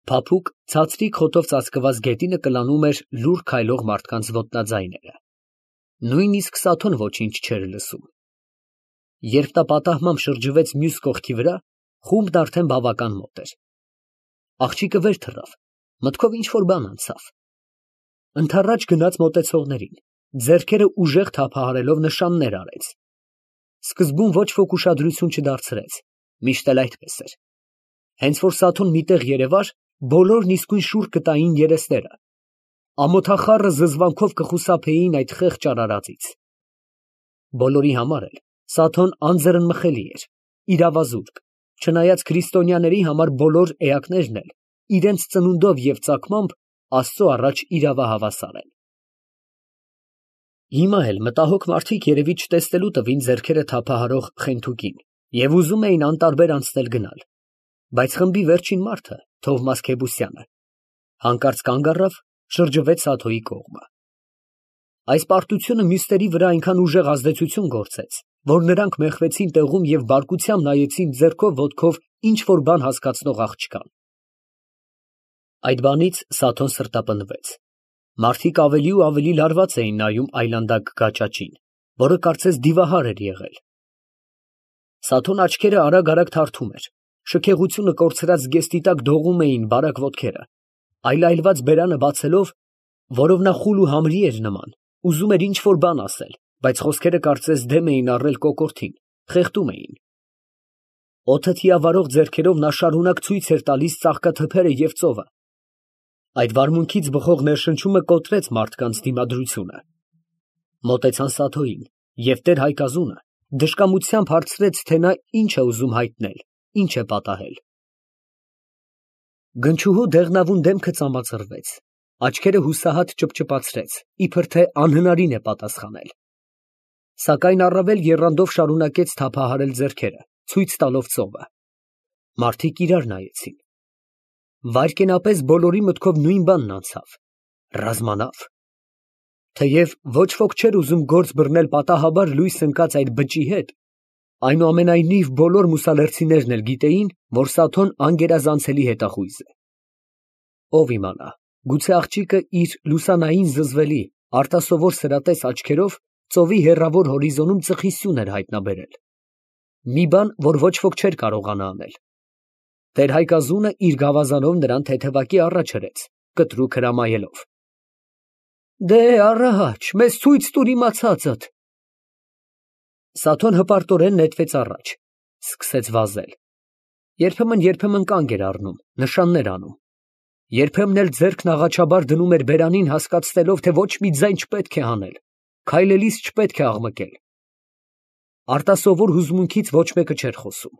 Փափուկ, ցածրիկ խոտով ծածկված գետինը կլանում էր լուռ քայլող մարդկանց ոտնաձայները։ Նույնիսկ Սաթոն ոչինչ չէր լսում։ Երբ նա պատահմամբ շրջվեց մյուս կողքի վրա, խումբն արդեն բավական մոտ էր։ Աղջիկը վեր թռավ, մտքով ինչ֊որ բան անցավ։ Ընդառաջ գնաց մոտեցողներին, ձեռքերը ուժեղ թափահարելով նշաններ արեց։ Սկզբում ոչ ոք ուշադրություն չդարձրեց, միշտ էլ այդպես էր։ Հենց որ Սաթոն մի տեղ երևար, բոլորն իսկույն շուռ կտային երեսները։ Ամոթախառը զզվանքով կխուսափեին այդ խեղճ արարածից։ Բոլորի համար էլ Սաթոն անձեռնմխելի էր, իրավազուրկ, չնայած քրիստոնյաների համար բոլոր էակներն էլ իրենց ծնունդով և ծագմամբ Աստծո առաջ իրավահավասար են։ Հիմա էլ մտահոգ մարդիկ երևի չտեսնելու տվին ձեռքերը թափահարող Խենթուկին և ուզում էին անտարբեր անցնել գնալ, բայց խմբի վերջին մարդը, Թովմաս Քեբուսյանը, հանկարծ կանգ առավ, շրջվեց Սաթոյի կողմը։ Այս պարտությունը մյուսների վրա այնքան ուժեղ ազդեցություն գործեց, որ նրանք մեխվեցին տեղում և բարկությամբ նայեցին ձեռքով ոտքով ինչ֊որ բան հասկացնող աղջկան։ Այդ բանից Սաթոն սրտապնդվեց։ Մարդիկ ավելի ու ավելի լարված էին նայում այլանդակ գաճաճին, որը կարծես դիվահար էր եղել։ Սաթոն աչքերը արագ թարթում էր, շքեղությունը կորցրած զգեստի տակ դողում էին բարակ ոտքերը, այլայլված բերանը բացելով, որով նա խուլ ու համրի էր նման, ուզում էր ինչ֊որ բան ասել, բայց խոսքերը կարծես դեմ էին առել կոկորդին, խեղդում էին։ Օդը թիավարող ձեռքերով նա շարունակ ցույց էր տալիս ծաղկաթփերը և ծովը։ Այդ վարմունքից բխող ներշնչումը կոտրեց մարդկանց դիմադրությունը։ Մոտեցան Սաթոյին, և տեր Հայկազունը դժկամությամբ հարցրեց, թե նա ինչ է ուզում հայտնել, ինչ է պատահել։ Գնչուհու դեղնավուն դեմքը ծամացրվեց, աչքերը հուսահատ ճպճպացրեց, իբր թե անհնարին է պատասխանել։ Սակայն առավել եռանդով շարունակեց թափահարել ձեռքերը, ցույց տալով ծովը։ Մարդիկ իրար նայեցին։ Վայրկենապես բոլորի մտքով նույն բանն անցավ. ռազմանավ։ Թեև ոչ ոք չէր ուզում գործ բռնել պատահաբար լույս ընկած այդ բճի հետ, այնուամենայնիվ բոլոր մուսալերցիներն էլ գիտեին, որ Սաթոն անգերազանցելի հետախույզ է։ Ով իմանա, գուցե աղջիկը իր լուսանային զզվելի, արտասովոր սրատես աչքերով ծովի հեռավոր հորիզոնում ծխի սյուն էր հայտնաբերել։ Մի բան, որ ոչ ոք չէր կարողանա անել։ Տեր Հայկազունը իր գավազանով նրան թեթևակի առաջ հրեց, կտրուկ հրամայելով. Դե առաջ, մեզ ցույց տուր իմացածդ։ Սաթոն հպարտորեն նետվեց առաջ, սկսեց վազել։ Երբեմն կանգ էր առնում, նշաններ անում։ Երբեմն էլ ձեռքն աղաչաբար դնում էր բերանին, հասկացնելով, թե ոչ մի ձայն չպետք է հանել, քայլելիս չպետք է աղմկել։ Արտասովոր հուզմունքից ոչ մեկը չէր խոսում։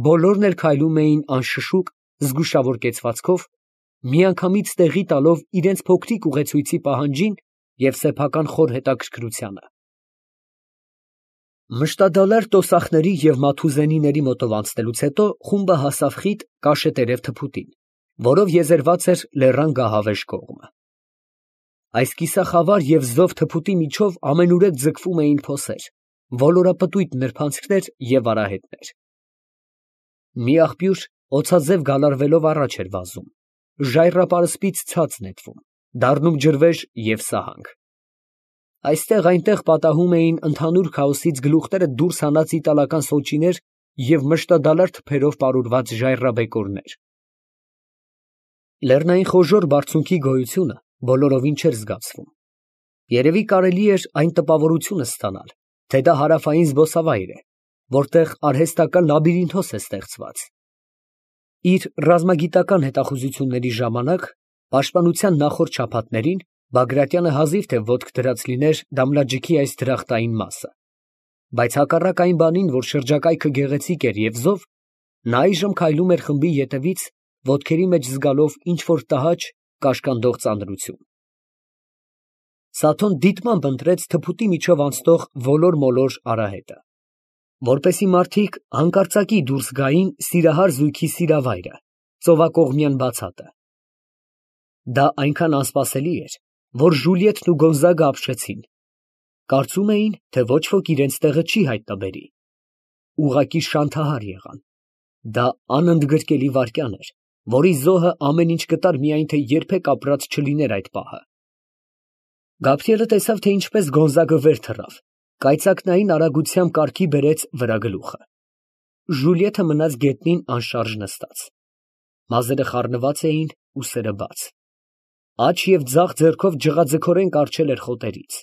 Բոլորն էլ քայլում էին անշշուկ, զգուշավոր կեցվածքով, միանգամից տեղի տալով իրենց փոքրիկ ուղեցույցի պահանջին և սեփական խոր հետաքրքրությանը։ Մշտադալար տոսախների և մաթուզենիների մոտով անցնելուց հետո խումբը հասավ խիտ կաշետերև թփուտին, որով եզերված էր լեռան գահավեժ կողմը։ Այս կիսախավար և զով թփուտի միջով ամենուրեք ձգվում էին փոսեր, ոլորապտույտ նրբանցքներ և արահետներ։ Մի աղբյուր օձաձև գալարվելով առաջ էր վազում, ժայռապարսպից ցած նետվում, դառնում ջրվեժ և սահանք։ Այստեղ֊այնտեղ պատահում էին ընդհանուր քաոսից գլուխները դուրս հանած իտալական սոճիներ և մշտադալար թփերով պարուրված ժայռաբեկորներ։ Լեռնային խոժոռ բարձունքի գոյությունը բոլորովին չէր զգացվում։ Երևի կարելի էր այն տպավորությունը ստանալ, թե դա հարավային զբոսավայր է, որտեղ արհեստական լաբիրինթոս է ստեղծված։ Իր ռազմագիտական հետախուզությունների ժամանակ, պաշտպանության նախորդ շաբաթներին, Բագրատյանը հազիվ թե ոտք դրած լիներ Դամլաջիքի այս դրախտային մասը, բայց հակառակ այն բանին, որ շրջակայքը գեղեցիկ էր և զով, նա այժմ քայլում էր խմբի ետևից, ոտքերի մեջ զգալով ինչ֊որ տհաճ, կաշկանդող ծանրություն։ Սաթոն դիտմամբ ընտրեց թփուտի միջով անցնող ոլոր֊մոլոր արահետը, որպեսզի մարդիկ հանկարծակի դուրս գային սիրահար զույգի սիրավայրը, ծովակողմյան բացատը։ Դա այնքան անսպասելի էր, որ Ժուլիետն ու Գոնզագը ապշեցին։ Կարծում էին, թե ոչ ոք իրենց տեղը չի հայտնաբերի։ Ուղղակի շանթահար եղան։ Դա անընդգրկելի վայրկյան էր, որի զոհը ամեն ինչ կտար, միայն թե երբեք ապրած չլիներ այդ պահը։ Գաբրիելը տեսավ, թե ինչպես Գոնզագը վեր թռավ, կայծակնային արագությամբ կառքի բերեց վրա գլուխը։ Ժուլիետը մնաց գետնին անշարժ նստած։ Մազերը խառնված էին, ուսերը բաց։ Աջ և ձախ ձեռքով ջղաձգորեն կառչել էր խոտերից։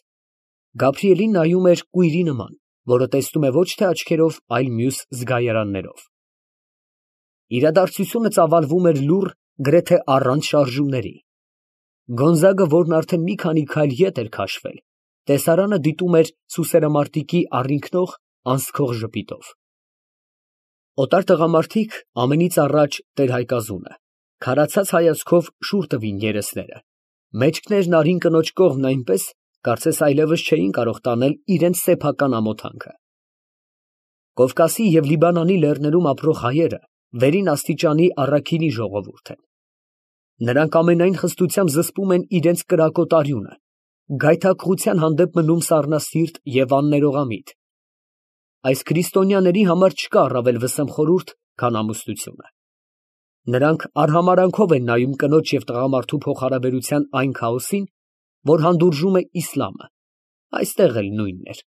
Գաբրիելին նայում էր կույրի նման, որը տեսնում է ոչ թե աչքերով, այլ մյուս զգայարաններով։ Իրադարձությունը ծավալվում էր լուռ, գրեթե առանց շարժումների։ Գոնզագը, որն արդեն մի քանի քայլ ետ էր քաշվել, տեսարանը դիտում էր սուսերամարտիկի առինքնող, անսքող ժպիտով։ Օտար տղամարդիկ, ամենից առաջ տեր֊Հայկազունը, քարացած հայացքով շուռ տվին երեսները, մեջքներն արին կնոջ կողմն այնպես, կարծես այլևս չէին կարող տանել իրենց սեփական ամոթանքը։ Կովկասի և Լիբանանի լեռներում ապրող հայերը վերին աստիճանի առաքինի ժողովուրդ են։ Նրանք ամենայն խստությամբ զսպում են իրենց կրակոտ արյունը, գայթակղության հանդեպ մնում սառնասիրտ և աններողամիտ։ Այս քրիստոնյաների համար չկա առավել վսեմ խորհուրդ, քան ամուսնությունը։ Նրանք արհամարհանքով են նայում կնոջ և տղամարդու փոխհարաբերության այն քաոսին, որ հանդուրժում է իսլամը, այստեղ էլ նույնն էր։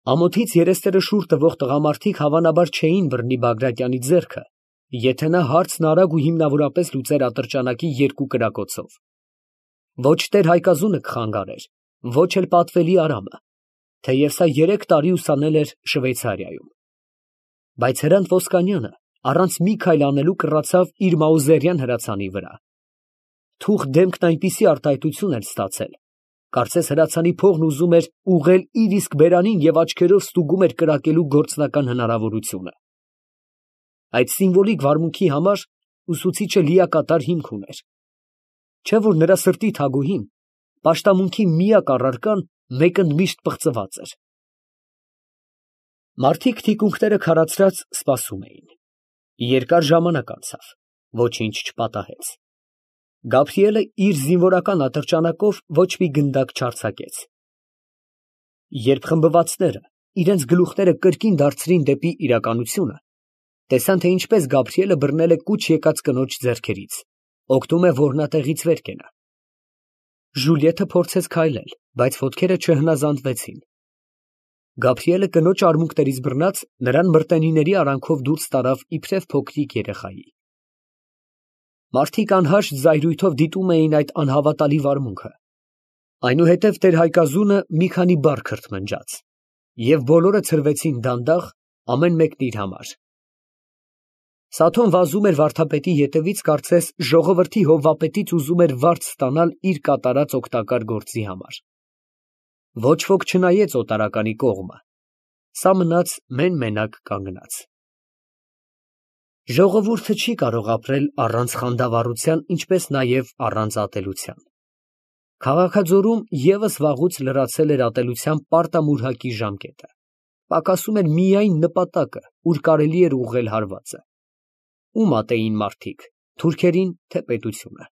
Ամոթից երեսները շուռ տվող տղամարդիկ հավանաբար չէին բռնի Բագրատյանի ձեռքը, եթե նա հարցն արագ ու հիմնավորապես լուծեր ատրճանակի երկու կրակոցով։ Ոչ տեր֊Հայկազունը կխանգարեր, ոչ էլ պատվելի Արամը, թեև սա 3 տարի ուսանել էր Շվեյցարիայում։ Բայց Հրանտ Ոսկանյանը առանց մի քայլ անելու կռացավ իր մաուզերյան հրացանի վրա։ Թուղթ դեմքն այնպիսի արտահայտություն էր ստացել, կարծես հրացանի փողն ուզում էր ուղղել իր իսկ բերանին և աչքերով ստուգում էր կրակելու գործնական հնարավորությունը։ Այդ սիմվոլիկ վարմունքի համար ուսուցիչը լիակատար հիմք ուներ։ Չէ՞ որ նրա սրտի թագուհին, պաշտամունքի միակ առարկան, մեկընդմիշտ պղծված էր։ Մարդիկ թիկունքները քարացրած սպասում էին։ Երկար ժամանակ անցավ, ոչինչ չպատահեց։ Գաբրիելը իր զինվորական ատրճանակով ոչ մի գնդակ չարձակեց։ Երբ խմբվածները իրենց գլուխները կրկին դարձրին դեպի իրականությունը, տեսան, թե ինչպես Գաբրիելը բռնել է կուչ եկած կնոջ ձեռքերից, օգնում է որնատեղից վեր կենա։ Ժուլիետը փորձեց քայլել, բայց ոտքերը չհնազանդվեցին։ Գաբրիելը կնոջ արմունկներից բռնած, նրան մրտենիների արանքով դուրս տարավ իբրև փոքրիկ երեխայի։ Մարդիկ անհաշտ զայրույթով դիտում էին այդ անհավատալի վարմունքը։ Այնուհետև տեր֊Հայկազունը մի քանի բառ քրթմնջաց, և բոլորը ցրվեցին դանդաղ, ամեն մեկն իր համար։ Սաթոն վազում էր վարդապետի ետևից, կարծես ժողովրդի հովվապետից ուզում էր վարձ ստանալ իր կատարած օգտակար գործի համար։ Ոչ ոք չնայեց օտարականի կողմը, սա մնաց մեն֊մենակ կանգնած։ Ժողովուրդը չի կարող ապրել առանց խանդավառության, ինչպես նաև առանց ատելության։ Քաղաքաձորում ևս վաղուց լրացել էր ատելության պարտամուրհակի ժամկետը, պակասում էր միայն նպատակը, ուր կարելի էր ուղղել հարվածը։ Ում ատեին մարդիկ, թուրքերին, թե պետությունը։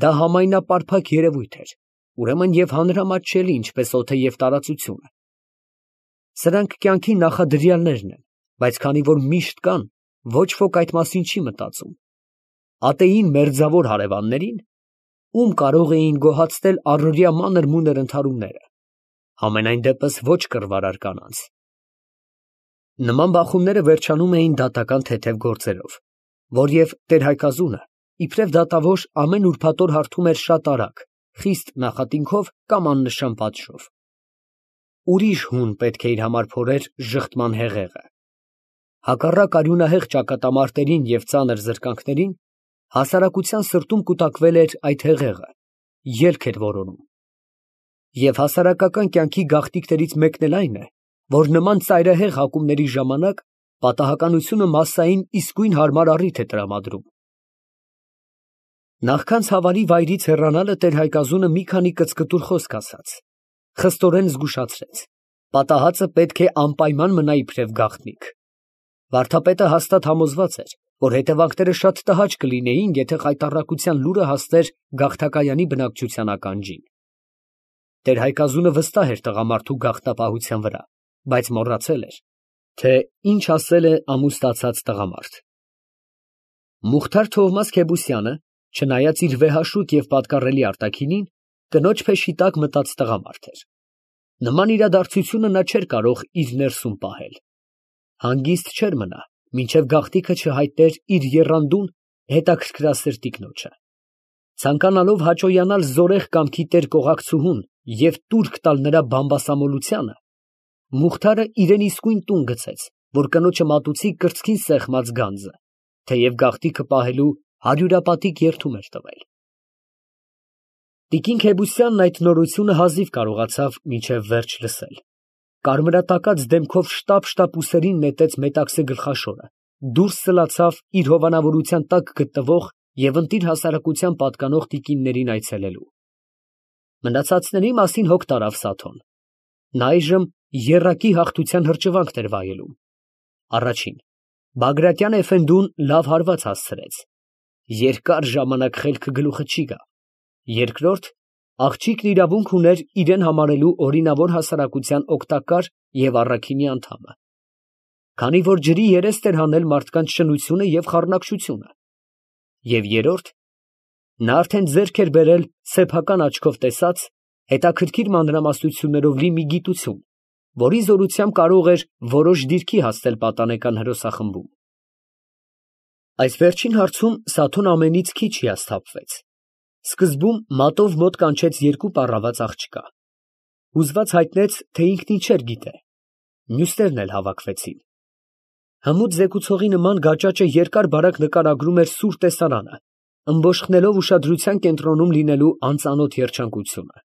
Դա համայնապարփակ երևույթ էր, ուրեմն և հանրամատչելի, ինչպես օդը և տարածությունը։ Սրանք կյանքի նախադրյալներն են, բայց քանի որ միշտ կան, ոչ ոք այդ մասին չի մտածում։ Ատեին մերձավոր հարևաններին, ում կարող էին գոհացնել առօրյա մանր֊մունր ընդհարումները, համենայն դեպս ոչ կռվարար կանանց։ Նման բախումները վերջանում էին դատական թեթև գործերով, որ և տեր֊Հայկազունը, իբրև դատավոր, ամեն ուրբաթ օր հարթում էր շատ արագ, խիստ նախատինքով կամ աննշան պատժով։ Ուրիշ հուն պետք է իր համար փորեր ժխտման հեղեղը։ Հակառակ արյունահեղ ճակատամարտերին և ծանր զրկանքներին, հասարակության սրտում կուտակվել էր այդ հեղեղը, ելք էր որոնում։ Եվ հասարակական կյանքի գաղտնիքներից մեկն էլ այն է, որ նման ծայրահեղ հակումների ժամանակ պատահականությունը մասսային իսկույն հարմար առիթ է տրամադրում։ Նախքան ցավալի վայրից հեռանալը տեր֊Հայկազունը մի քանի կծկտուր խոսք ասաց, խստորեն զգուշացրեց. պատահածը պետք է անպայման մնա իբրև գաղտնիք։ Վարդապետը հաստատ համոզված էր, որ հետևանքները շատ տհաճ կլինեին, եթե խայտառակության լուրը հասներ գաղթակայանի բնակչության ականջին։ Տեր֊Հայկազունը վստահ էր տղամարդու գաղտնապահության վրա, բայց մոռացել էր, թե ինչ ասել է ամուսնացած տղամարդ։ Մուխթար Թովմաս Քեբուսյանը, չնայած իր վեհաշուկ և պատկառելի արտաքինին, կնոջ փեշի տակ մտած տղամարդ էր։ Նման իրադարձությունը նա չէր կարող իր ներսում պահել։ Հանգիստ չէր մնա, մինչև գաղտնիքը չհայտներ իր եռանդուն հետաքրքրասեր տիկնոջը։ Ցանկանալով հաճոյանալ զորեղ կամքի տեր կողակցուհուն և տուրք տալ նրա բամբասամոլությանը, Մուխթարը իրեն իսկույն տուն գցեց, որ կնոջը մատուցի կրծքին սեղմած գանձը, թեև գաղտնիքը պահելու հարյուրապատիկ երդում էր տվել։ Տիկին Քեբուսյանն այդ նորությունը հազիվ կարողացավ մինչև վերջ լսել։ Կարմրատակած դեմքով շտապ ուսերին նետեց մետաքսե գլխաշորը, դուրս սլացավ իր հովանավորության տակ գտնվող և ընտիր հասարակության պատկանող տիկիններին այցելելու։ Մնացածների մասին հոգ տարավ Սաթոն։ Նա այժմ եռակի հաղթության հրճվանքն էր վայելում։ Առաջին. Բագրատյան էֆենդուն լավ հարված հասցրեց։ Երկար ժամանակ խելքը գլուխը չի գա։ Երկրորդ. աղջիկն իրավունք ուներ իրեն համարելու օրինավոր հասարակության օգտակար և առաքինի անդամը։ Քանի որ ջրի երեստ էր հանել մարդկանց շնությունը և խառնակշությունը։ Եվ երրորդ. նա արդեն ձեռք էր բերել սեփական աչքով տեսած, հետաքրքիր մանրամասնություններով լի մի գիտություն, որի զորությամբ կարող էր որոշ դիրքի հասնել պատանեկան հրոսախմբում։ Այս վերջին հարցում Սաթոն ամենից քիչ հիասթափվեց։ Սկզբում մատով մոտ կանչեց երկու պառաված աղջկա։ Հուզված հայտնեց, թե ինքն ինչեր գիտե։ Մյուսներն էլ հավաքվեցին։ Հմուտ զեկուցողի նման գաճաճը երկար֊բարակ նկարագրում էր սուր տեսարանը, ըմբոշխնելով ուշադրության կենտրոնում լինելու անծանոթ երջանկությունը։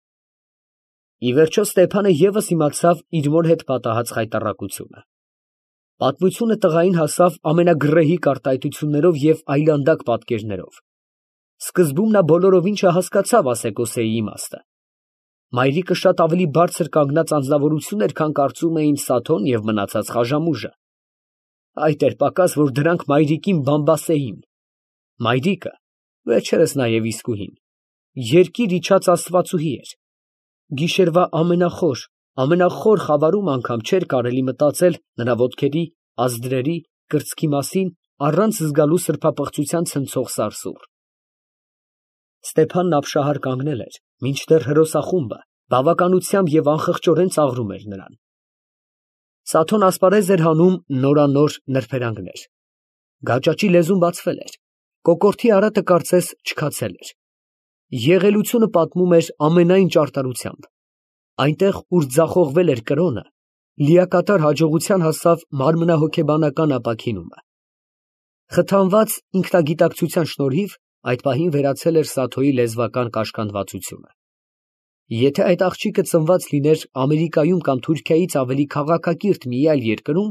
Ի վերջո Ստեփանը ևս իմացավ իր մոր հետ պատահած խայտառակությունը։ Պատմությունը տղային հասավ ամենագրեհիկ արտահայտություններով և այլանդակ պատկերներով։ Սկզբում նա բոլորովին չհասկացավ ասեկոսեի իմաստը։ Մայրիկը շատ ավելի բարձր կանգնած անձնավորություն էր, քան կարծում էին Սաթոն և մնացած խաժամուժը։ Այդ էր պակաս, որ դրանք մայրիկին բամբասեին։ Մայրիկը, վերջերս նաև իսկուհին, երկիր իջած աստվածուհի էր։ Գիշերվա ամենախոր խավարում անգամ չէր կարելի մտածել նրա ոտքերի, ազդրերի, կրծքի մասին առանց զգալու սրբապղծության ցնցող սարսուռ։ Ստեփանն ապշահար կանգնել էր, մինչդեռ հրոսախումբը բավականությամբ և անխղճորեն ծաղրում էր նրան։ Սաթոն ասպարեզ էր հանում նորանոր նրբերանգներ։ Գաճաճի լեզուն բացվել էր, կոկորդի արատը կարծես չքացել էր։ Եղելությունը պատմում էր ամենայն ճարտարությամբ։ Այնտեղ, ուր ձախողվել էր կրոնը, լիակատար հաջողության հասավ մարմնահոգեբանական ապաքինումը։ Խթանված ինքնագիտակցության շնորհիվ այդ պահին վերացել էր Սաթոյի լեզվական կաշկանդվածությունը։ Եթե այդ աղջիկը ծնված լիներ Ամերիկայում կամ Թուրքիայից ավելի քաղաքակիրթ մի այլ երկրում,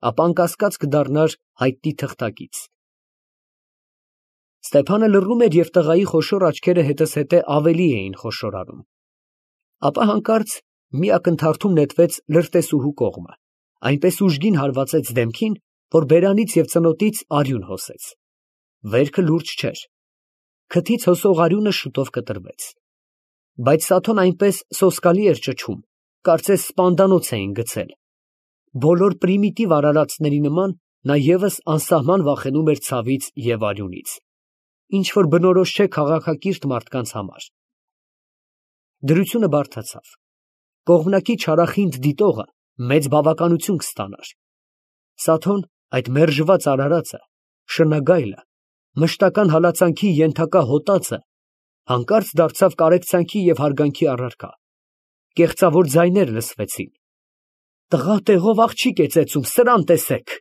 ապա անկասկած կդառնար հայտնի թղթակից։ Ստեփանը լռում էր և տղայի խոշոր աչքերը հետզհետե ավելի էին խոշորանում։ Ապա հանկարծ մի ակնթարթում նետվեց լրտեսուհու կողմը, այնպես ուժգին հարվածեց դեմքին, որ բերանից և ծնոտից արյուն հոսեց։ Վերքը լուրջ չէր։ Քթից հոսող արյունը շուտով կտրվեց։ Բայց Սաթոն այնպես սոսկալի էր ճչում, կարծես սպանդանոց էին գցել։ Բոլոր պրիմիտիվ արարածների նման նա ևս անսահման վախենում էր ցավից և արյունից, ինչ որ բնորոշ չէ քաղաքակիրթ մարդկանց համար։ Դրությունը բարդացավ։ Կողմնակի չարախինդ դիտողը մեծ բավականություն կստանար։ Սաթոն, այդ մերժված արարածը, շնագայլը, մշտական հալածանքի ենթակա հոտածը, հանկարծ դարձավ կարեկցանքի և հարգանքի առարկա։ Կեղծավոր ձայներ լսվեցին. «Տղա տեղով աղջիկ է ծեծում, սրան տեսեք»։